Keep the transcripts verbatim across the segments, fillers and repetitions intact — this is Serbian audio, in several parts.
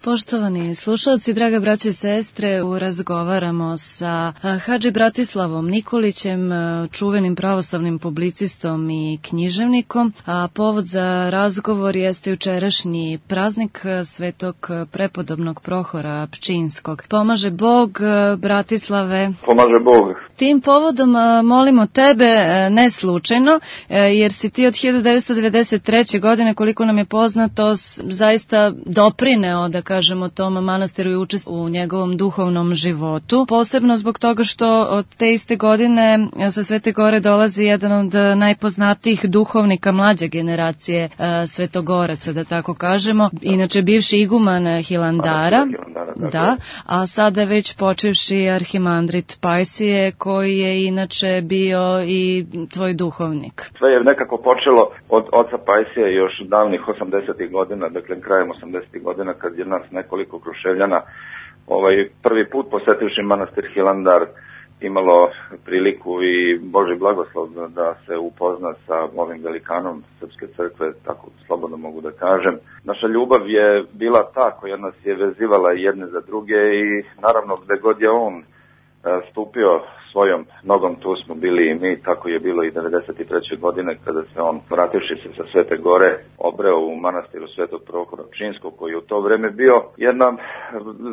Poštovani slušalci, draga braće i sestre, razgovaramo sa Hadži Bratislavom Nikolićem, čuvenim pravoslavnim publicistom i književnikom, a povod za razgovor jeste jučerašnji praznik Svetog prepodobnog Prohora Pčinjskog. Pomaže Bog, Bratislave. Pomaže Bog. Tim povodom molimo tebe, ne slučajno, jer si ti od hiljadu devetsto devedeset treće. godine, koliko nam je poznato, zaista doprineo, da kažemo, tom manastiru i učestvovao u njegovom duhovnom životu. Posebno zbog toga što od te iste godine sa Svete Gore dolazi jedan od najpoznatijih duhovnika mlađe generacije svetogoraca, da tako kažemo. Inače, bivši iguman Hilandara, da, a sada već počevši arhimandrit Pajsije, koji je inače bio i tvoj duhovnik. Sve je nekako počelo od oca Pajsije još davnih osamdesetih godina, dakle krajem osamdesetih godina, kad je nas nekoliko Kruševljana ovaj, prvi put posetivši manastir Hilandar imalo priliku i Božji blagoslov da, da se upozna sa ovim velikanom Srpske crkve, tako slobodno mogu da kažem. Naša ljubav je bila ta koja nas je vezivala jedne za druge i naravno gde god je on stupio svojom nogom, tu smo bili i mi, tako je bilo i devedeset treće. godine kada se on, vrativši se sa Svete Gore, obreo u manastiru Svetog Prohora Pčinjskog, koji je u to vreme bio jedno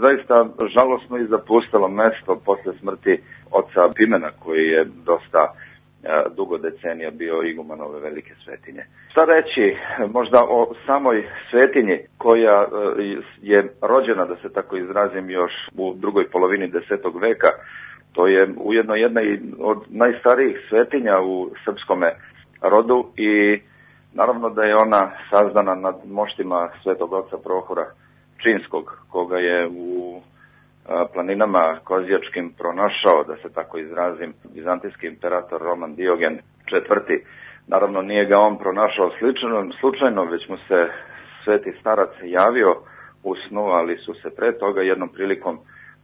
zaista žalosno i zapustelo mesto posle smrti oca Pimena, koji je dosta dugo decenija bio iguman ove velike svetinje. Šta reći možda o samoj svetinji koja je rođena, da se tako izrazim, još u drugoj polovini desetog veka. To je ujedno jedna od najstarijih svetinja u srpskome rodu i naravno da je ona sazdana nad moštima Svetog oca Prohora Pčinjskog, koga je u planinama Kozjačkim pronašao, da se tako izrazim, vizantijski imperator Roman Diogen četvrti. Naravno nije ga on pronašao slučajno, slučajno, već mu se sveti starac javio u snu, ali su se pre toga jednom prilikom,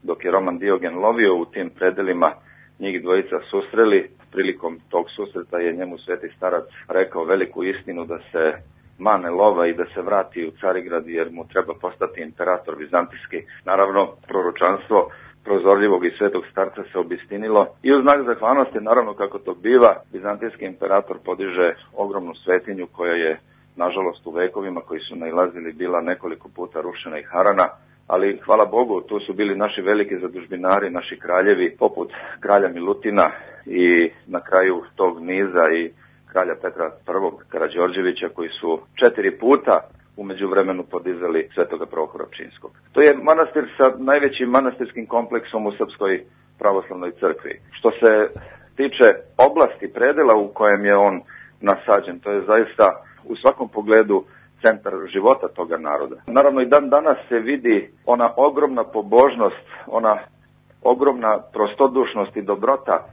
dok je Roman Diogen lovio u tim predelima, njih dvojica susreli. Prilikom tog susreta je njemu sveti starac rekao veliku istinu, da se mane lova i da se vrati u Carigrad jer mu treba postati imperator vizantijski. Naravno, proročanstvo prozorljivog i svetog starca se obistinilo i u znak zahvalnosti, naravno kako to biva, vizantijski imperator podiže ogromnu svetinju koja je, nažalost, u vekovima koji su nailazili bila nekoliko puta rušena i harana, ali hvala Bogu, tu su bili naši veliki zadužbinari, naši kraljevi, poput kralja Milutina i na kraju tog niza i kralja Petra prvog Karađorđevića, koji su četiri puta u međuvremenu podizali Svetoga Prohora Pčinjskog. To je manastir sa najvećim manastirskim kompleksom u Srpskoj pravoslavnoj crkvi. Što se tiče oblasti, predela u kojem je on nasađen, to je zaista u svakom pogledu centar života toga naroda. Naravno i dan danas se vidi ona ogromna pobožnost, ona ogromna prostodušnost i dobrota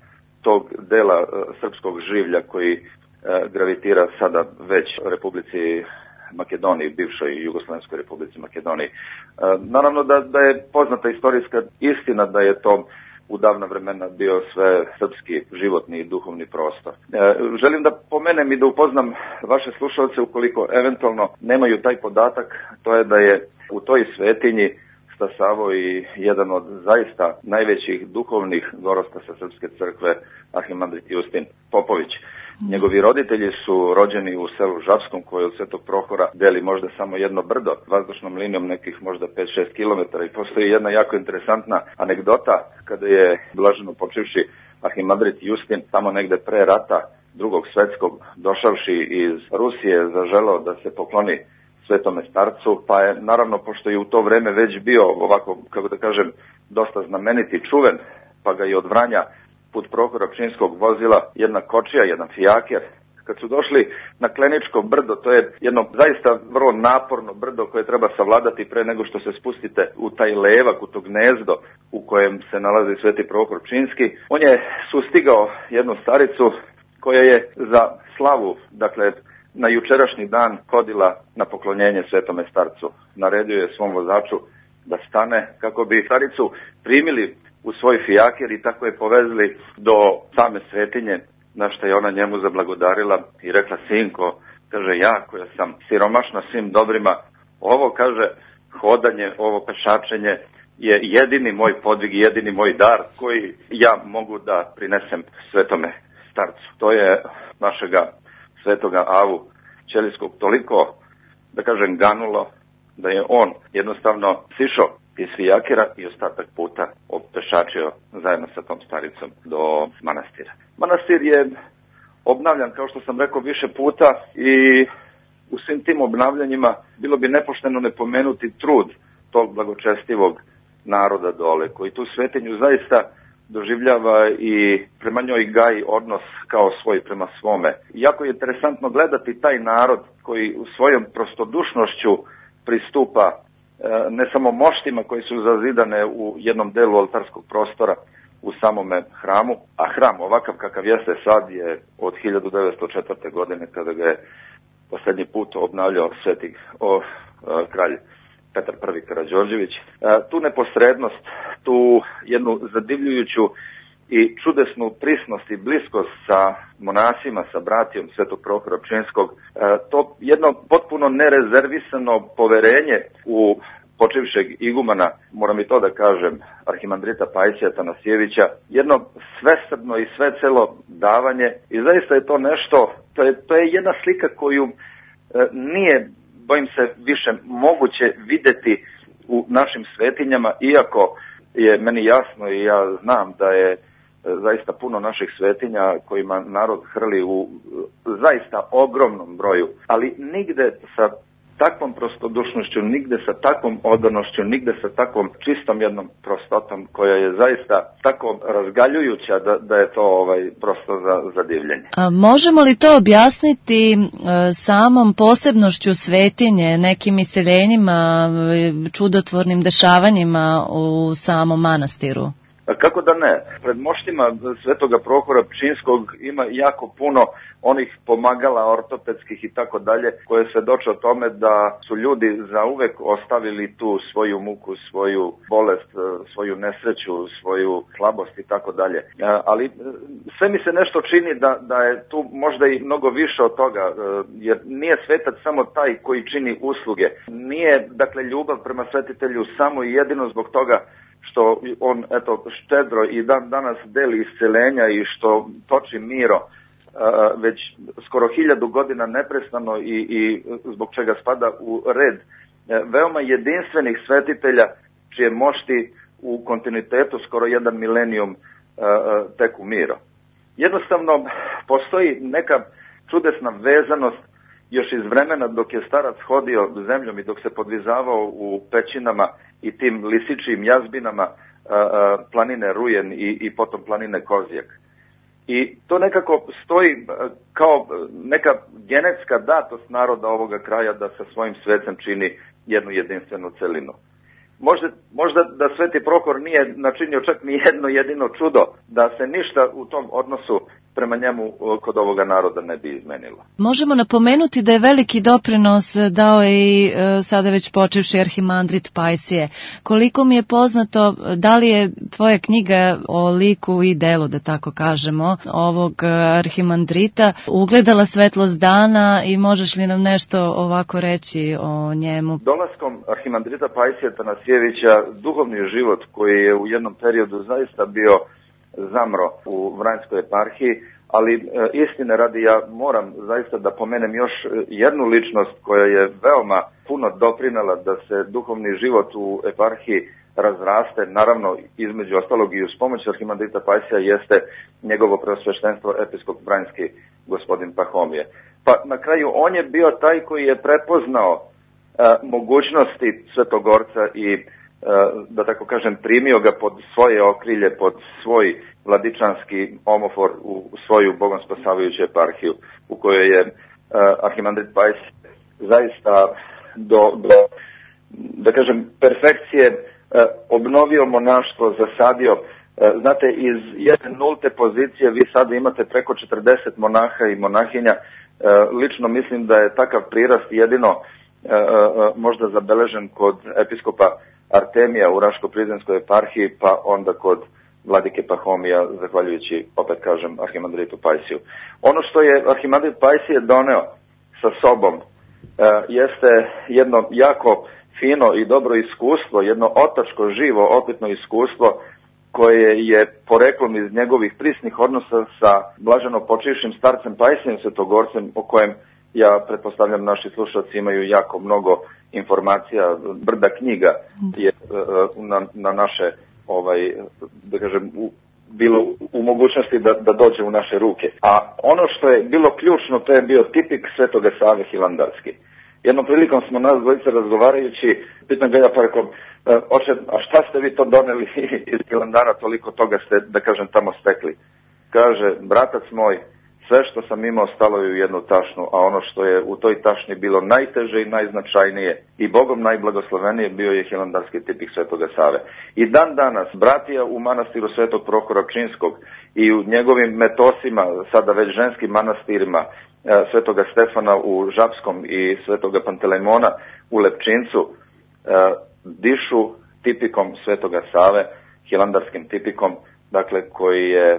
tog dela e, srpskog življa koji e, gravitira sada već Republici Makedoniji, bivšoj Jugoslovenskoj Republici Makedoniji. E, naravno da, da je poznata istorijska istina da je to u davna vremena bio sve srpski životni i duhovni prostor. E, želim da pomenem i da upoznam vaše slušalce, ukoliko eventualno nemaju taj podatak, to je da je u toj svetinji stasavao i jedan od zaista najvećih duhovnih gorosta sa Srpske crkve, arhimandrit Justin Popović. Njegovi roditelji su rođeni u selu Žapskom, koje od Svetog Prohora deli možda samo jedno brdo, vazdušnom linijom nekih možda pet do šest kilometara. I postoji jedna jako interesantna anegdota kada je blaženo počivši arhimandrit Justin tamo negde pre rata drugog svetskog, došavši iz Rusije, zaželao da se pokloni Svetome starcu, pa je naravno, pošto je u to vreme već bio ovako, kako da kažem, dosta znameniti, čuven, pa ga je od Vranja put Prohora Pčinjskog vozila jedna kočija, jedan fijaker. Kad su došli na Kleničko brdo, to je jedno zaista vrlo naporno brdo koje treba savladati pre nego što se spustite u taj levak, u to gnezdo u kojem se nalazi Sveti Prohor Pčinjski. On je sustigao jednu staricu koja je za slavu, dakle, na jučerašnji dan hodila na poklonjenje Svetome starcu. Naredio je svom vozaču da stane kako bi staricu primili u svoj fijaker i tako je povezli do same svetinje, na što je ona njemu zablagodarila i rekla: sinko, kaže, ja koja sam siromašna svim dobrima, ovo, kaže, hodanje, ovo pešačenje je jedini moj podvig, jedini moj dar koji ja mogu da prinesem svetome starcu. To je našega svetoga Avu Ćelijskog toliko, da kažem, ganulo da je on jednostavno sišao iz fijakira i ostatak puta opešačio zajedno sa tom staricom do manastira. Manastir je obnavljan, kao što sam rekao, više puta i u svim tim obnavljanjima bilo bi nepošteno ne pomenuti trud tog blagočestivog naroda dole, koji tu svetinju zaista doživljava i prema njoj gaji odnos kao svoj prema svome. Jako je interesantno gledati taj narod koji u svojom prostodušnošću pristupa ne samo moštima koji su zazidane u jednom delu oltarskog prostora u samome hramu, a hram ovakav kakav jeste sad je od hiljadu devetsto četvrte. godine kada ga je posljednji put obnavljao sveti o, o, kralj Petar prvi. Karađorđević. E, tu neposrednost, tu jednu zadivljujuću i čudesnu prisnost i bliskost sa monasima, sa bratijom Svetog Prohora Pčinjskog, e, to jedno potpuno nerezervisano poverenje u počivšeg igumana, moram i to da kažem, arhimandrita Pajsija Tanasijevića, jedno svesrdno i svecelo davanje i zaista je to nešto, to je, to je jedna slika koju e, nije, bojim se, više moguće videti u našim svetinjama, iako je meni jasno i ja znam da je zaista puno naših svetinja kojima narod hrli u zaista ogromnom broju, ali nigde sa takvom prostodušnošću, nigde sa takvom odanošću, nigde sa takvom čistom jednom prostotom koja je zaista tako razgaljujuća da, da je to ovaj prosto za, za divljenje. A možemo li to objasniti e, samom posebnošću svetinje, nekim iseljenjima, čudotvornim dešavanjima u samom manastiru? Kako da ne? Pred moštima Svetoga Prohora Pčinjskog ima jako puno onih pomagala ortopedskih i tako dalje, koje svedoče o tome da su ljudi zauvek ostavili tu svoju muku, svoju bolest, svoju nesreću, svoju slabost i tako dalje. Ali sve mi se nešto čini da, da je tu možda i mnogo više od toga, jer nije svetac samo taj koji čini usluge. Nije, dakle, ljubav prema svetitelju samo i jedino zbog toga što on, eto, štedro i dan danas deli isceljenja i što toči miro uh, već skoro hiljadu godina neprestano i, i zbog čega spada u red uh, veoma jedinstvenih svetitelja čije mošti u kontinuitetu skoro jedan milenijum uh, teku miro. Jednostavno postoji neka čudesna vezanost još iz vremena dok je starac hodio zemljom i dok se podvizavao u pećinama i tim lisičijim jazbinama a, a, planine Rujen i, i potom planine Kozjak. I to nekako stoji kao neka genetska datost naroda ovoga kraja da sa svojim svecem čini jednu jedinstvenu celinu. Možda, možda da Sveti Prohor nije načinio čak ni jedno jedino čudo, da se ništa u tom odnosu prema njemu kod ovoga naroda ne bi izmenilo. Možemo napomenuti da je veliki doprinos dao i e, sada već počevši arhimandrit Pajsije. Koliko mi je poznato, da li je tvoja knjiga o liku i delu, da tako kažemo, ovog arhimandrita ugledala svetlost dana i možeš li nam nešto ovako reći o njemu? Dolaskom arhimandrita Pajsija Tanasijevića duhovni život koji je u jednom periodu zaista bio zamro u Vranjskoj eparhiji, ali e, istine radi ja moram zaista da pomenem još jednu ličnost koja je veoma puno doprinela da se duhovni život u eparhiji razraste, naravno između ostalog i uz pomoć arhimandrita Pajsija jeste njegovo preosveštenstvo episkop Vranjski gospodin Pahomije. Pa na kraju on je bio taj koji je prepoznao e, mogućnosti Svetogorca i da tako kažem primio ga pod svoje okrilje, pod svoj vladičanski omofor u svoju bogomspasavajuću eparhiju u kojoj je uh, arhimandrit Pajs zaista do, do da kažem perfekcije uh, obnovio monaštvo, zasadio. Uh, znate, iz jedne nulte pozicije vi sada imate preko četrdeset monaha i monahinja. Uh, lično mislim da je takav prirast jedino uh, uh, možda zabeležen kod episkopa Artemija u Raško-Prizrenskoj eparhiji, pa onda kod vladike Pahomija, zahvaljujući, opet kažem, arhimandritu Pajsiju. Ono što je arhimandrit Pajsije doneo sa sobom e, jeste jedno jako fino i dobro iskustvo, jedno otačko, živo, opetno iskustvo koje je poreklom iz njegovih prisnih odnosa sa blaženo počivšim starcem Pajsijem Svetogorcem, o kojem ja pretpostavljam naši slušalci imaju jako mnogo informacija, brda knjiga je na, na naše, ovaj, da kažem, u, bilo u mogućnosti da, da dođe u naše ruke. A ono što je bilo ključno, to je bio tipik Svetoga Save Hilandarski. Jednom prilikom smo nas dvojice razgovarajući, pitam ga ja pa rekao, oče, a šta ste vi to doneli iz Hilandara, toliko toga ste, da kažem, tamo stekli? Kaže, bratac moj, sve što sam imao stalo je u jednu tašnu, a ono što je u toj tašni bilo najteže i najznačajnije i Bogom najblagoslovenije bio je hilandarski tipik Svetoga Save. I dan danas, bratija u manastiru Svetog Prohora Pčinjskog i u njegovim metosima, sada već ženskim manastirima, Svetoga Stefana u Žapskom i Svetoga Pantelejmona u Lepčincu, dišu tipikom Svetoga Save, hilandarskim tipikom, dakle, koji je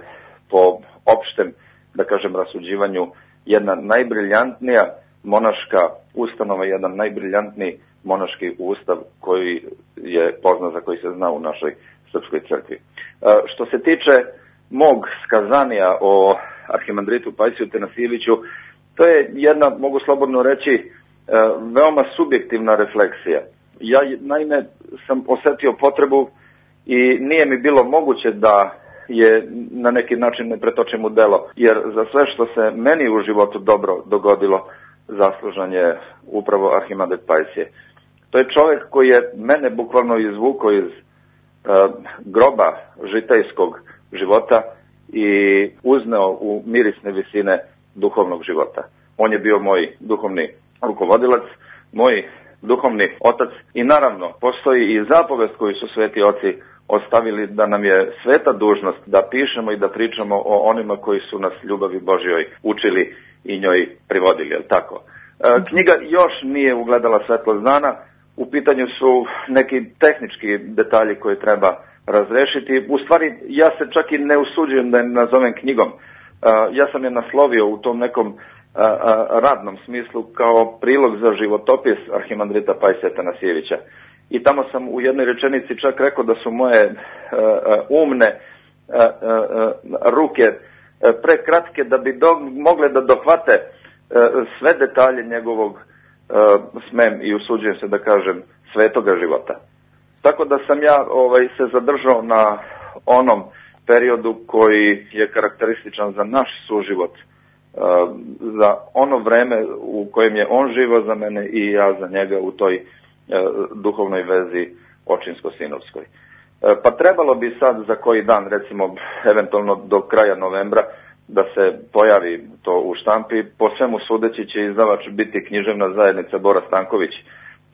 po opštem, da kažem, rasuđivanju jedna najbriljantnija monaška ustanova, jedan najbriljantniji monaški ustav koji je poznat, za koji se zna u našoj srpskoj crkvi. Što se tiče mog skazanija o arhimandritu Pajsiju Tanasijeviću, to je jedna, mogu slobodno reći, veoma subjektivna refleksija. Ja naime sam osetio potrebu i nije mi bilo moguće da je na neki način ne pretočim u delo, jer za sve što se meni u životu dobro dogodilo, zaslužan je upravo arhimandrit Pajsije. To je čovjek koji je mene bukvalno izvukao iz uh, groba žitejskog života i uzneo u mirisne visine duhovnog života. On je bio moj duhovni rukovodilac, moj duhovni otac i naravno postoji i zapovest koju su sveti oci ostavili da nam je sveta dužnost da pišemo i da pričamo o onima koji su nas ljubavi Božjoj učili i njoj privodili, je li tako? E, knjiga još nije ugledala svetlost dana, u pitanju su neki tehnički detalji koje treba razrešiti. U stvari, ja se čak i ne usuđujem da je nazovem knjigom. E, ja sam je naslovio u tom nekom a, a, radnom smislu kao prilog za životopis arhimandrita Pajsija Tanasijevića. I tamo sam u jednoj rečenici čak rekao da su moje uh, umne uh, uh, ruke uh, prekratke da bi do, mogle da dohvate uh, sve detalje njegovog, uh, smem i usuđujem se da kažem, svetoga života. Tako da sam ja ovaj, se zadržao na onom periodu koji je karakterističan za naš suživot, uh, za ono vreme u kojem je on živo za mene i ja za njega u toj duhovnoj vezi očinsko-sinovskoj. Pa trebalo bi sad za koji dan, recimo eventualno do kraja novembra, da se pojavi to u štampi. Po svemu sudeći će izdavač biti književna zajednica Bora Stanković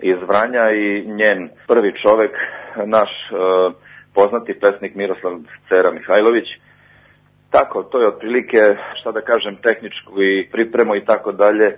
iz Vranja i njen prvi čovek, naš e, poznati pesnik Miroslav Cera Mihajlović. Tako, to je otprilike, šta da kažem, tehničku i pripremu i tako dalje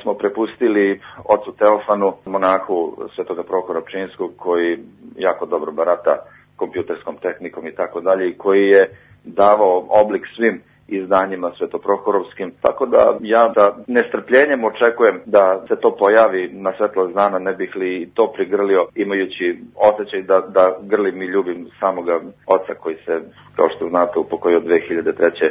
smo prepustili ocu Teofanu, monahu Svetoga Prohora Pčinjskog, koji jako dobro barata kompjuterskom tehnikom i tako dalje, i koji je davao oblik svim izdanjima svetoprohorovskim, tako da ja sa nestrpljenjem očekujem da se to pojavi na svetlost dana, ne bih li to prigrlio, imajući osjećaj da, da grlim i ljubim samoga oca koji se, kao što znate, upokojio dve hiljade treće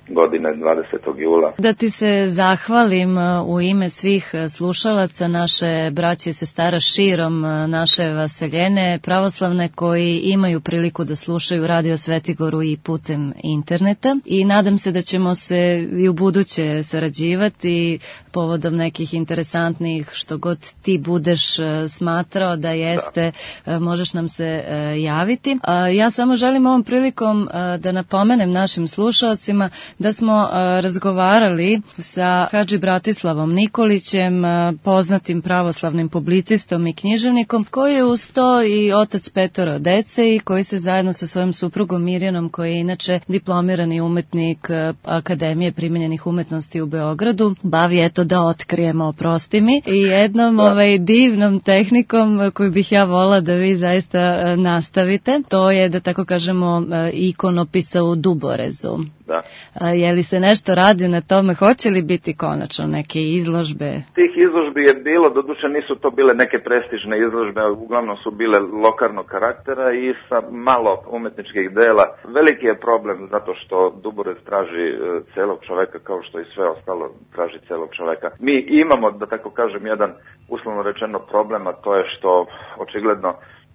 godine dvadesetog jula. Da ti se zahvalim u ime svih slušalaca, naše braće i sestara širom naše vaseljene pravoslavne koji imaju priliku da slušaju Radio Svetigoru i putem interneta, i nadam se da ćemo se i u buduće sarađivati povodom nekih interesantnih, što god ti budeš smatrao da jeste, da. Možeš nam se javiti. Ja samo želim ovom prilikom da napomenem našim slušalcima da smo uh, razgovarali sa Hadži Bratislavom Nikolićem, uh, poznatim pravoslavnim publicistom i književnikom, koji je uz to i otac petoro dece i koji se zajedno sa svojom suprugom Mirjanom, koji je inače diplomirani umetnik uh, Akademije primenjenih umetnosti u Beogradu, bavi, eto da otkrijemo, oprosti mi, i jednom da. ovaj, divnom tehnikom koju bih ja volila da vi zaista uh, nastavite. To je, da tako kažemo, uh, ikonopisa u duborezu. Da. A, je li se nešto radi na tome, hoće li biti konačno neke izložbe? Tih izložbi je bilo, doduše nisu to bile neke prestižne izložbe, uglavnom su bile lokalnog karaktera i sa malo umetničkih dela. Veliki je problem zato što Duborez traži celog čoveka kao što i sve ostalo traži celog čoveka. Mi imamo, da tako kažem, jedan uslovno rečeno problem, a to je što očigledno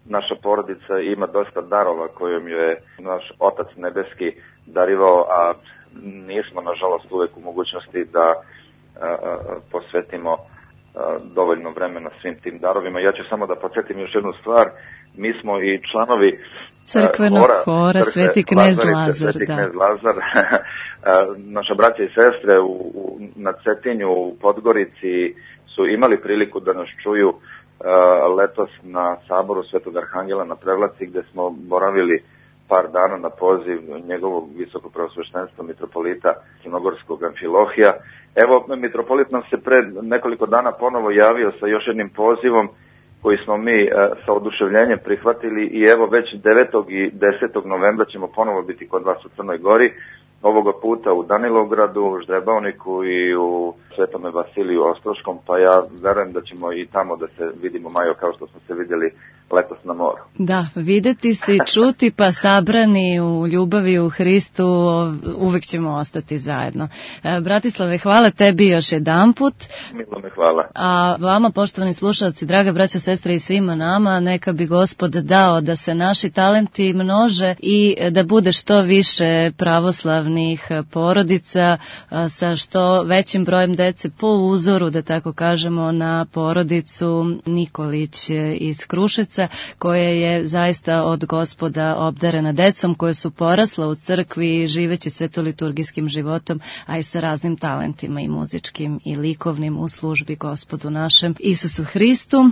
naša porodica ima dosta darova kojom je naš Otac nebeski darivao, a nismo nažalost uvek u mogućnosti da a, a, posvetimo a, dovoljno vremena svim tim darovima. Ja ću samo da podsjetim još jednu stvar, mi smo i članovi Crkvenog hora, hora crkve, Sveti knez Lazar. Sveti knez Lazar. Naša braća i sestre u, u, na Cetinju, u Podgorici su imali priliku da nas čuju letos na saboru Svetog Arhangela na Prevlaci, gde smo boravili par dana na poziv njegovog visokopreosveštenstva mitropolita Crnogorskog Amfilohija. Evo, mitropolit nam se pred nekoliko dana ponovo javio sa još jednim pozivom koji smo mi e, sa oduševljenjem prihvatili i evo već devetog i desetog novembra ćemo ponovo biti kod vas u Crnoj Gori, ovoga puta u Danilovgradu, u Ždrebavniku i u Svetome Vasiliju Ostroškom, pa ja verujem da ćemo i tamo da se vidimo, Majo, kao što smo se vidjeli letos na moru. Da, videti se i čuti, pa sabrani u ljubavi u Hristu, uvek ćemo ostati zajedno. Bratislave, hvala tebi još jedanput. Milo me hvala. A vama, poštovani slušalci, draga braća, sestre i svima nama, neka bi Gospod dao da se naši talenti množe i da bude što više pravoslavnih porodica sa što većim brojem dece po uzoru, da tako kažemo, na porodicu Nikolić iz Kruševca, koja je zaista od Gospoda obdarena decom, koje su porasla u crkvi živeći svetoliturgijskim životom, a i sa raznim talentima i muzičkim i likovnim u službi Gospodu našem Isusu Hristu.